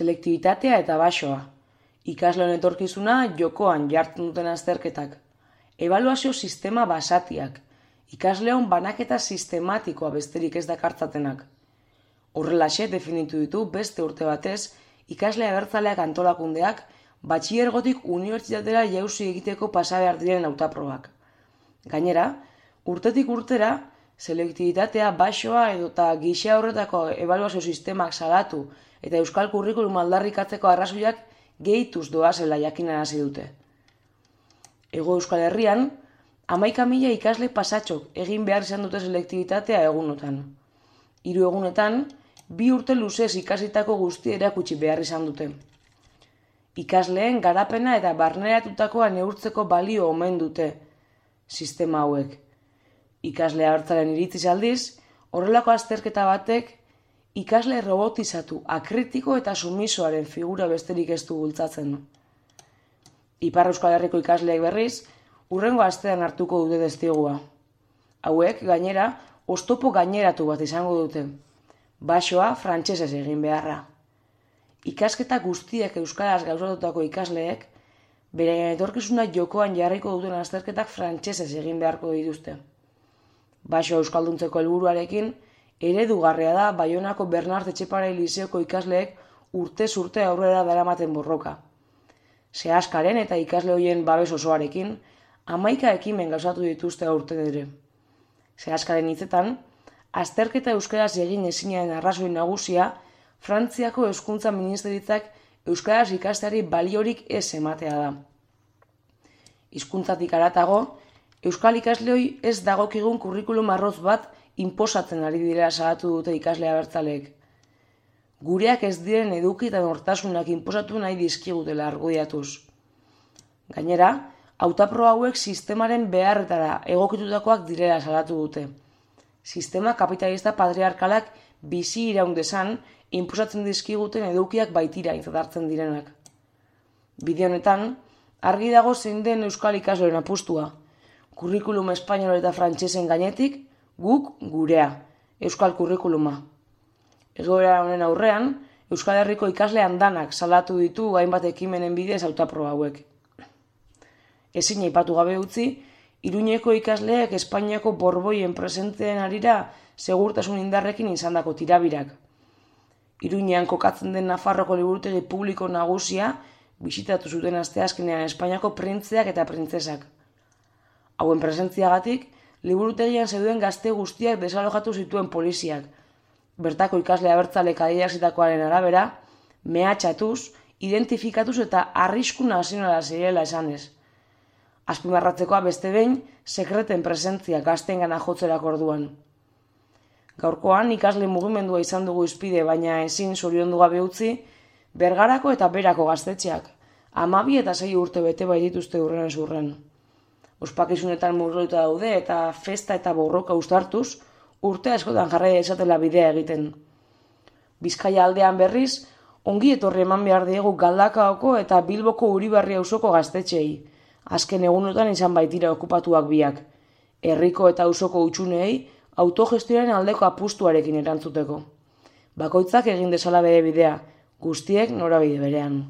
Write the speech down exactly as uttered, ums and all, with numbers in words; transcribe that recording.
selektibitatea eta baxoa. Ikasleen etorkizuna jokoan jartzen duten azterketak. Ebaluazio sistema basatiak. Ikasleon banaketa sistematikoa besterik ez dakartzatenak. Horrelaxe definitu ditu beste urte batez ikasle abertzaleak antolakundeak batxilergotik unibertsitatera jauzi egiteko pasa behar diren hautaprobak. Gainera, urtetik urtera, selektibitatea baxoa edota gisa horretako ebaluazio sistemak salatu eta euskal kurrikulum aldarrikatzeko arrazoiak gehituz doazela jakinarazi dute. Hego Euskal Herrian, hamaika mila ikasle pasatxok egin behar izan dute selektibitatea egunotan. Hiru egunetan, bi urte luzez ikasitako guztia erakutsi behar izan dute. Ikasleen garapena eta barneratutakoa neurtzeko balio omen dute sistema hauek. Ikasle abertzalen iritziz aldiz, horrelako azterketa batek ikasle robotizatu, akritiko eta sumisoaren figura besterik ez du bultzatzen. Ipar Euskal Herriko ikasleek berriz, hurrengo astean hartuko dute testigua. Hauek, gainera, oztopo gaineratu bat izango dute. Baxoa frantsesez egin beharra. Ikasketa guztiak euskaraz gauzatutako ikasleek, bere etorkizuna jokoan jarriko duten azterketak frantsesez egin beharko dituzte. Baxoa euskalduntzeko helburuarekin, eredugarria da Baionako Bernart Etxepare Lizeoko ikasleek urtez urte aurrera daramaten borroka. Sehaskaren eta ikasle horien babes osoarekin, hamaika ekimen gauzatu dituzte aurten ere. Sehaskaren hitzetan, azterketa euskaraz egin ezinaren arrazoi nagusia, Frantziako Hezkuntza Ministeritzak euskaraz ikasteari baliorik ez ematea da. Hizkuntzatik haratago, euskal ikasleoi ez dagokigun kurrikulum arroz bat inposatzen ari direla salatu dute ikasle abertzaleek. Gureak ez diren eduki eta nortasunak inposatu nahi dizkigutela argudiatuz. Gainera, hautapro hauek sistemaren beharretara egokitutakoak direla salatu dute. Sistema kapitalista patriarkalak bizi iraun dezan inposatzen dizkiguten edukiak baitira aintzat hartzen direnak. Bide honetan, argi dago zein den euskal ikasleen apustua. Kurrikulum espainol eta frantsesen gainetik, guk gurea, euskal kurrikuluma. Egoera honen aurrean, Euskal Herriko ikasle andanak salatu ditu hainbat ekimenen bidez hautapro hauek. Ezin aipatu gabe utzi, Iruñeko ikasleek Espainiako borboien presenteen harira segurtasun indarrekin izandako tirabirak. Iruñean kokatzen den Nafarroko liburutegi publiko nagusia bisitatu zuten asteazkenean Espainiako printzeak eta printzesak. Hauen presentziagatik, liburutegian zeuden gazte guztiak desalojatu zituen poliziak. Bertako ikasle abertzalek adierazitakoaren arabera, mehatxatuz, identifikatuz eta arrisku nazionala zirela esanez. Azpimarratzekoa beste behin, sekreten presentzia gazteengana jotzerako orduan. Gaurkoan ikasle mugimendua izan dugu izpide, baina ezin zoriondu gabe utzi, Bergarako eta Berako gaztetxeak, hamabi eta sei urte bete bai dituzte hurren zurren. Ospakizunetan murgilduta daude eta festa eta borroka uztartuz, urte askotan jarraia izatela bidea egiten. Bizkaia aldean berriz, ongi etorri eman behar diegu Galdakaoko eta Bilboko Uribarri auzoko gaztetxeei. Azken egunotan izan baitira okupatuak biak. Herriko eta auzoko hutsunei autogestioaren aldeko apustuarekin erantzuteko. Bakoitzak egin dezala bere bidea, guztiek norabide berean.